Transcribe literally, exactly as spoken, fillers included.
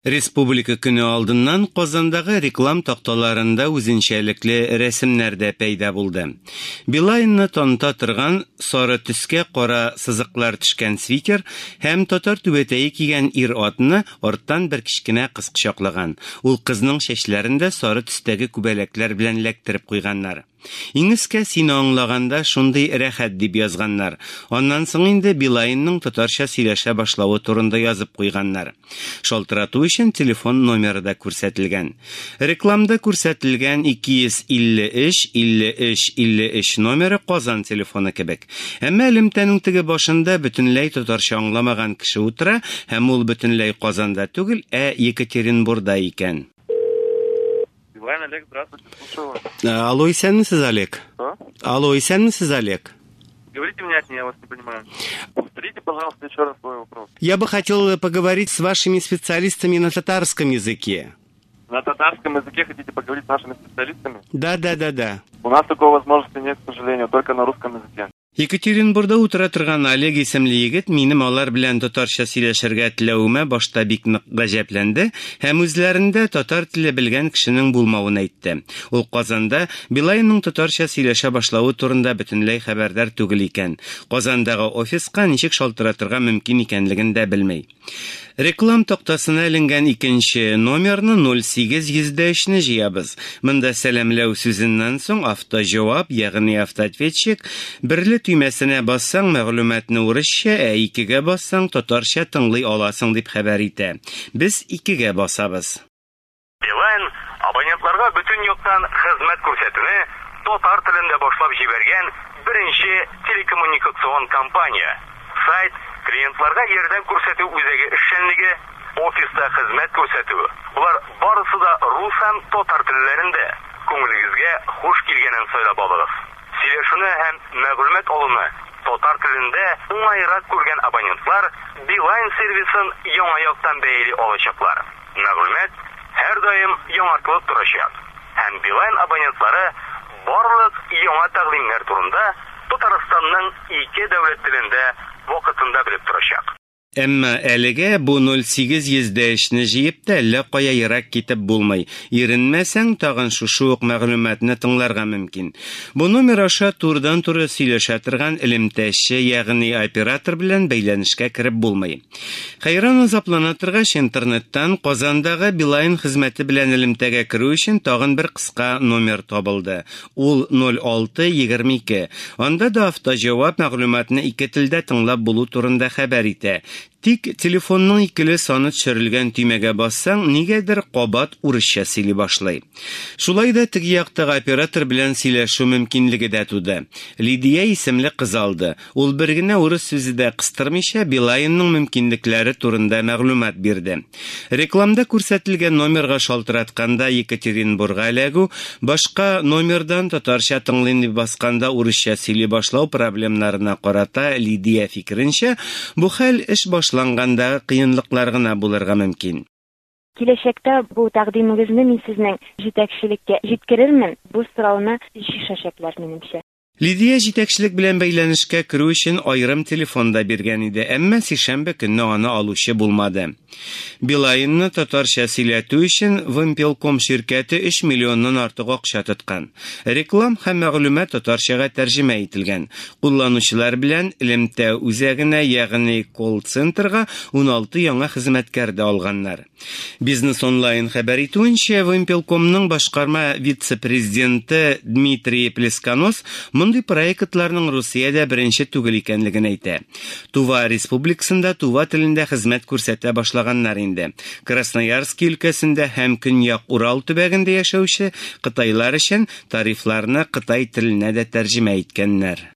Республика көне алдыннан Казандагы реклам такталарында үзенчәлекле рәсемнәр дә пәйда булды. Билайнны таныта торган сары төскә кара сызыклар төшкән свитер һәм татар түбәтәе кигән ир-атны арттан бер кечкенә кыз кочаклаган. Ул кызның чәчләрен дә сары төстәге күбәләкләр белән эләктереп куйганнар. Иң өскә «Сине аңлаганда шундый рәхәт» дип язганнар. Аннан соң инде Билайнның татарча сөйләшә башлавы турында язып куйганнар. Шалтырату өчен телефон номеры да күрсәтелгән. Рекламда күрсәтелгән ике йөз илле өч илле өч илле өч номеры Казан телефоны кебек. Әмма элемтәнең теге башында бөтенләй татарча аңламаган кеше утыра һәм ул бөтенләй Казанда түгел, ә Екатеринбурда икән. Билайн, Олег, здравствуйте, слушаю вас. Алло, исәнмесез, Олег? Что? Алло, исәнмесез, Олег? Говорите внятнее, я вас не понимаю. Повторите, пожалуйста, еще раз свой вопрос. Я бы хотел поговорить с вашими специалистами на татарском языке. На татарском языке хотите поговорить с нашими специалистами? Да, да, да, да. У нас такой возможности нет, к сожалению, только на русском языке. Екатеринбурда утыра торган Олег исемле егет минем алар белән татарча сөйләшергә теләвемә башта бик нык гаҗәпләнде һәм үзләрендә татар теле белгән кешенең булмавын әйтте. Ул Казанда Билайнның татарча сөйләшә башлавы турында бөтенләй хәбәрдар түгел икән. Казандагы офиска ничек шалтыратырга мөмкин икәнлеген дә белми. Реклам тактасына эленгән икенче номерны ноль сигез йөз дә өчне җыябыз. Монда сәламләү сүзеннән соң автоҗавап, ягъни автоответчик, берле төймәсенә бассаң мәгълүматны урысча, ә икегә бассаң татарча тыңлый аласың дип хәбәр итә. Без икегә басабыз. Билайн абонентларга бөтен яктан хезмәт күрсәтүне татар телендә башлап җибәргән беренче телекоммуникацион компания. Сайт клиентларга ярдәм күрсәтү үзәге эшчәнлеге, офиста хезмәт күрсәтү. Булар барысы да рус һәм татар телләрендә. Күңелегезгә хуш килгәнен сайлап алыгыз. Сөйләшүне һәм мәгълүмат алуны татар телендә уңайрак күргән абонентлар Билайн сервисын яңа яктан бәяли алачаклар. Мәгълүмат һәр даим яңартылып торачак. Һәм Билайн абонентлары барлык яңа тәкъдимнәр турында Татарстанның ике дәүләт телендә вакытында белеп торачак. Әмма әлегә бу ноль сигез йөз дә өчне җыеп та әллә кая ерак китеп булмый. Иренмәсәң, тагын шушы ук мәгълүматны тыңларга мөмкин. Бу номер аша турыдан-туры сөйләшә торган элемтәче, ягъни оператор белән бәйләнешкә кереп булмый. Хәйран азаплана торгач, интернеттан Казандагы Билайн хезмәте белән элемтәгә керү өчен тагын бер кыска номер табылды. Ул ноль алты егерме ике. Анда да автоҗавап мәгълүматны ике телдә тыңлап булу турында хәбәр итә. Тик телефонның икеле саны төшерелгән төймәгә бассаң, нигәдер кабат урысча сөйли башлый. Шулай да теге яктагы оператор белән сөйләшү мөмкинлеге дә туды. Лидия исемле кыз алды. Ул бер генә урыс сүзе дә кыстырмыйча Билайнның мөмкинлекләре турында мәгълүмат бирде. Рекламда күрсәтелгән номерга шалтыратканда Екатеринбурга эләгү, башка номердан татарча тыңлыйм дип басканда урысча сөйли башлау проблемнарына карата Лидия фикеренчә, бу хәл эш башланганда кыенлыклар гына булырга мөмкин. Киләчәктә бу тәкъдимегезне мин сезнең җитәкчелеккә җиткерермен. Бу сорауны чишәчәкләр минемчә. Лидия җитәкчелек белән бәйләнешкә керү өчен аерым телефон да биргән иде, әмма сишәмбе көнне аны алучы булмады. Билайнны татарча сөйләтү өчен Вымпелком ширкәте өч миллионнан артык акча тоткан. Реклам һәм мәгълүмат татарчага тәрҗемә ителгән. Кулланучылар белән элемтә үзәгенә, ягъни колл-центрга ун алты яңа хезмәткәр дә алганнар. Бизнес онлайн хәбәр итүенчә, Вымпелкомның башкарма вице-президенты Дмитрий Плесконос мондый проектларның Русиядә беренче түгел икәнлеген әйтә. Тува Республикасында тува телендә хезмәт күрсәтә башлаганнар инде. Красноярск өлкәсендә һәм Көньяк Урал төбәгендә яшәүче кытайлар өчен тарифларны кытай теленә дә тәрҗемә иткәннәр.